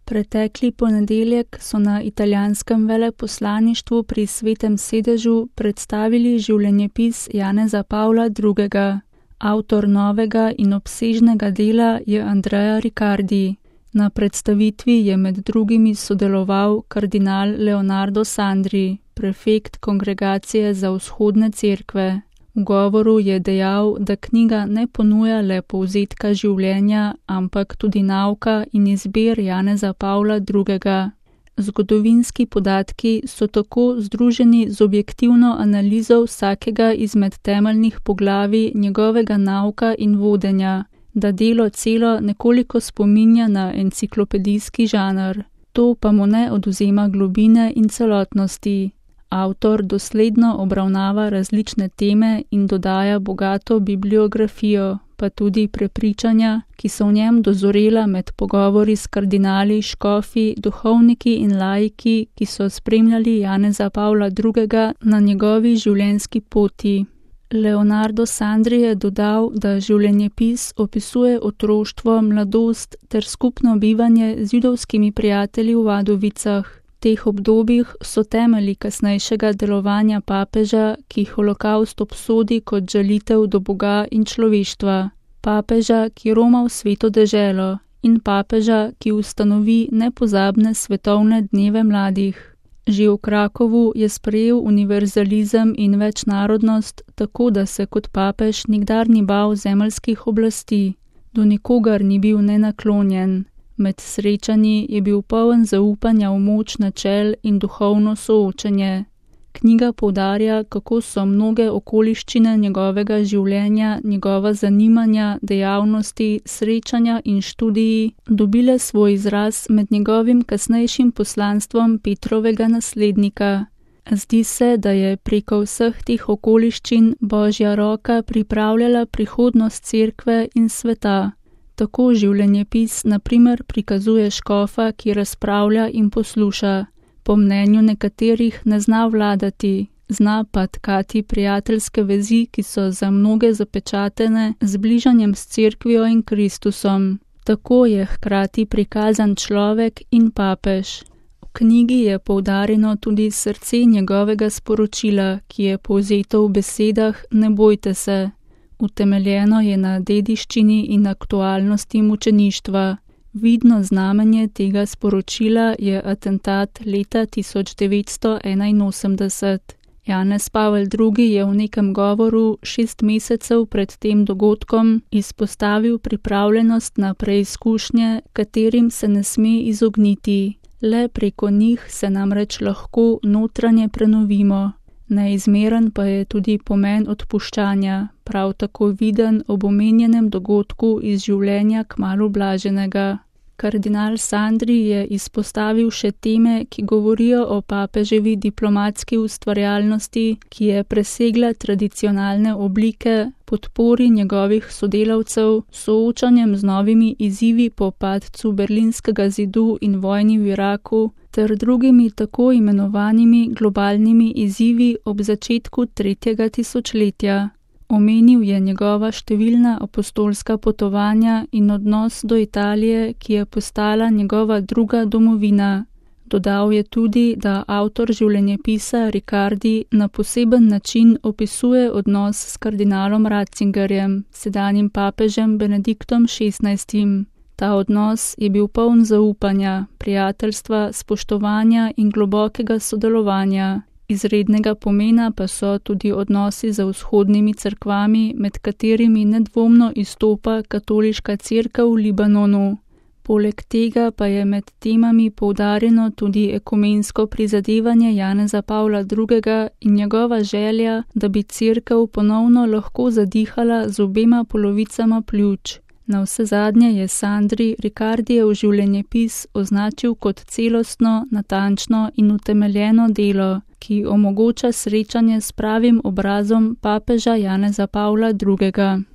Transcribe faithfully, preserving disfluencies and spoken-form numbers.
Pretekli ponedeljek so na italijanskem veleposlaništvu pri Svetem sedežu predstavili življenjepis Janeza Pavla drugega. Avtor novega in obsežnega dela je Andrea Riccardi. Na predstavitvi je med drugimi sodeloval kardinal Leonardo Sandri, prefekt Kongregacije za vzhodne cerkve. V govoru je dejal, da knjiga ne ponuja le povzetka življenja, ampak tudi nauka in izbir Janeza Pavla drugega. Zgodovinski podatki so tako združeni z objektivno analizo vsakega izmed temeljnih poglavij njegovega nauka in vodenja, da delo celo nekoliko spominja na enciklopedijski žanr. To pa mu ne odvzema globine in celotnosti. Avtor dosledno obravnava različne teme in dodaja bogato bibliografijo, pa tudi prepričanja, ki so v njem dozorela med pogovori s kardinali, škofi, duhovniki in laiki, ki so spremljali Janeza Pavla drugega na njegovi življenjski poti. Leonardo Sandri je dodal, da življenjepis opisuje otroštvo, mladost ter skupno bivanje z judovskimi prijatelji v Vadovicah. V teh obdobjih so temelji kasnejšega delovanja papeža, ki holokavst obsodi kot žalitev do Boga in človeštva, papeža, ki roma v sveto deželo, in papeža, ki ustanovi nepozabne svetovne dneve mladih. Že v Krakovu je sprejel univerzalizem in večnarodnost, tako da se kot papež nikdar ni bal zemeljskih oblasti. Do nikogar ni bil nenaklonjen. Med srečanji je bil poln zaupanja v moč načel in duhovno soočenje. Knjiga poudarja, kako so mnoge okoliščine njegovega življenja, njegova zanimanja, dejavnosti, srečanja in študiji dobile svoj izraz med njegovim kasnejšim poslanstvom Petrovega naslednika. Zdi se, da je preko vseh teh okoliščin Božja roka pripravljala prihodnost cerkve in sveta. Tako življenjepis na primer prikazuje škofa, ki razpravlja in posluša. Po mnenju nekaterih ne zna vladati, zna pa tkati prijateljske vezi, ki so za mnoge zapečatene z bližanjem s cerkvijo in Kristusom. Tako je hkrati prikazan človek in papež. V knjigi je poudarjeno tudi srce njegovega sporočila, ki je povzeto v besedah Ne bojte se. Utemeljeno je na dediščini in aktualnosti mučeništva. Vidno znamenje tega sporočila je atentat leta tisoč devetsto enainosemdeset. Janez Pavel drugi je v nekem govoru šest mesecev pred tem dogodkom izpostavil pripravljenost na preizkušnje, katerim se ne sme izogniti. Le preko njih se namreč lahko notranje prenovimo. Neizmeren pa je tudi pomen odpuščanja, prav tako viden ob omenjenem dogodku iz življenja kmalu blaženega. Kardinal Sandri je izpostavil še teme, ki govorijo o papeževi diplomatski ustvarjalnosti, ki je presegla tradicionalne oblike, podpori njegovih sodelavcev, soočanjem z novimi izzivi po padcu Berlinskega zidu in vojni v Iraku, ter drugimi tako imenovanimi globalnimi izzivi ob začetku tretjega tisočletja. Omenil je njegova številna apostolska potovanja in odnos do Italije, ki je postala njegova druga domovina. Dodal je tudi, da avtor življenjepisa Riccardi na poseben način opisuje odnos s kardinalom Ratzingerjem, sedanjim papežem Benediktom šestnajstim. Ta odnos je bil poln zaupanja, prijateljstva, spoštovanja in globokega sodelovanja. Izrednega pomena pa so tudi odnosi z vzhodnimi cerkvami, med katerimi nedvomno izstopa katoliška cerkev v Libanonu. Poleg tega pa je med temami poudarjeno tudi ekumensko prizadevanje Janeza Pavla drugega in njegova želja, da bi cerkev ponovno lahko zadihala z obema polovicama pljuč. Navsezadnje je Sandri Riccardijev življenjepis označil kot celostno, natančno in utemeljeno delo, ki omogoča srečanje s pravim obrazom papeža Janeza Pavla drugega.